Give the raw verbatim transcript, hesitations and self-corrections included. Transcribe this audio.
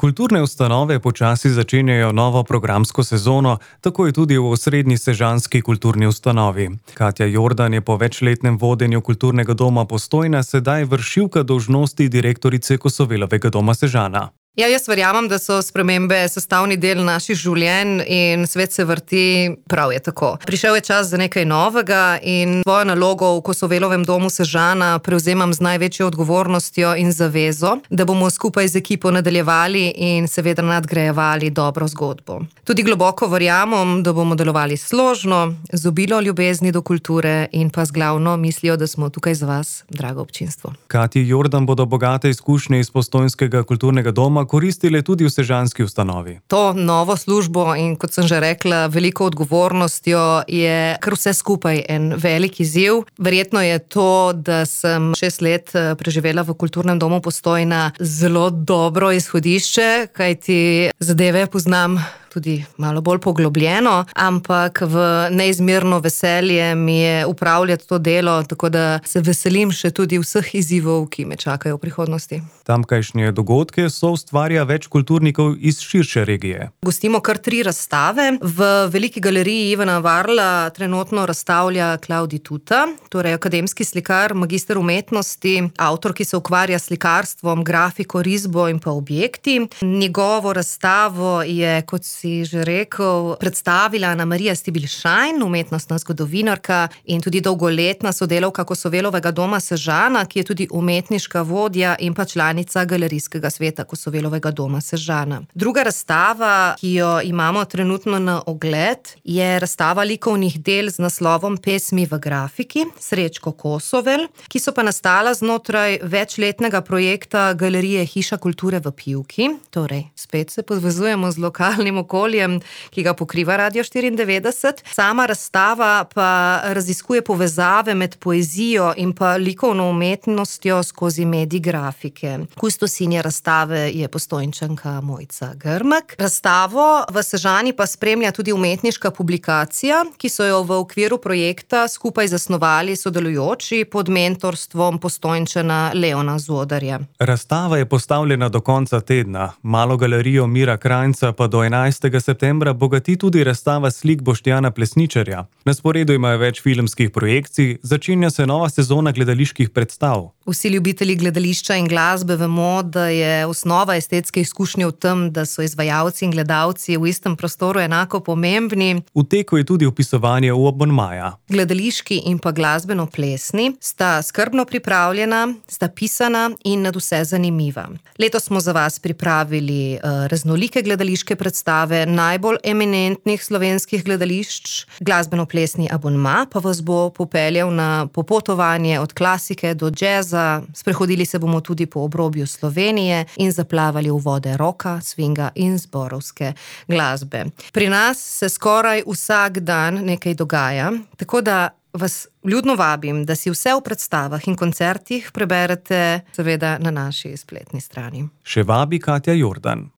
Kulturne ustanove počasi začenjajo novo programsko sezono, tako je tudi v osrednji sežanski kulturni ustanovi. Katja Jordan je po večletnem vodenju kulturnega doma Postojna sedaj vršilka dolžnosti direktorice Kosovelovega doma Sežana. Ja, jaz verjamem, da so spremembe sestavni del naših življenj in svet se vrti, prav je tako. Prišel je čas za nekaj novega in svojo nalogo v Kosovelovem domu Sežana prevzemam z največjo odgovornostjo in zavezo, da bomo skupaj z ekipo nadaljevali in seveda nadgrajevali dobro zgodbo. Tudi globoko verjamem, da bomo delovali složno, z obilo ljubezni do kulture in pa z glavno mislijo, da smo tukaj za vas, drago občinstvo. Katji Jordan bodo bogate izkušnje iz postojnskega kulturnega doma koristile tudi v sežanski ustanovi. To novo službo in, kot sem že rekla, veliko odgovornostjo je kar vse skupaj en velik izziv. Verjetno je to, da sem šest let preživela v kulturnem domu Postojna zelo dobro izhodišče, kajti zadeve poznam tudi malo bolj poglobljeno, ampak v neizmerno veselje mi je upravljati to delo, tako da se veselim še tudi vseh izzivov, ki me čakajo v prihodnosti. Tamkajšnje dogodke so ustvarja več kulturnikov iz širše regije. Gostimo kar tri razstave. V Veliki galeriji Ivana Varla trenutno razstavlja Klavdij Tuta, torej akademski slikar, magister umetnosti, avtor, ki se ukvarja s slikarstvom, grafiko, risbo in pa objekti. Njegovo razstavo je, kot si že rekel, predstavila Anamarija Stibilšajn, umetnostna zgodovinarka in tudi dolgoletna sodelavka Kosovelovega doma Sežana, ki je tudi umetniška vodja in pa članica galerijskega sveta Kosovelovega doma Sežana. Druga razstava, ki jo imamo trenutno na ogled, je razstava likovnih del z naslovom Pesmi v grafiki, Srečko Kosovel, ki so pa nastala znotraj večletnega projekta Galerije Hiša kulture v Pivki, torej spet se povezujemo z lokalnim okoljem, ki ga pokriva Radio štiriindevetdeset. Sama razstava pa raziskuje povezave med poezijo in pa likovno umetnostjo skozi medij grafike. Kustosinja razstave je Postojnčanka Mojca Grmek. Razstavo v Sežani pa spremlja tudi umetniška publikacija, ki so jo v okviru projekta skupaj zasnovali sodelujoči pod mentorstvom Postojnčana Leona Zodarja. Razstava je postavljena do konca tedna. Malo galerijo Mira Krajnca pa do enajstega septembra bogati tudi razstava slik Boštjana Plesničarja. Na sporedu imajo več filmskih projekcij, začenja se nova sezona gledaliških predstav. Vsi ljubitelji gledališča in glasbe vemo, da je osnova estetske izkušnje v tem, da so izvajalci in gledalci v istem prostoru enako pomembni. V teku je tudi vpisovanje v abonmaja. Gledališki in pa glasbeno-plesni sta skrbno pripravljena, sta pisana in nadvse zanimiva. Letos smo za vas pripravili uh, raznolike gledališke predstave najbolj eminentnih slovenskih gledališč. Glasbeno-plesni abonma pa vas bo popeljal na popotovanje od klasike do džeza. Sprehodili se bomo tudi po obrobju Slovenije in zaplavali v vode roka, swinga in zborovske glasbe. Pri nas se skoraj vsak dan nekaj dogaja, tako da vas vljudno vabim, da si vse v predstavah in koncertih preberete seveda na naši spletni strani. Še vabi Katja Jordan.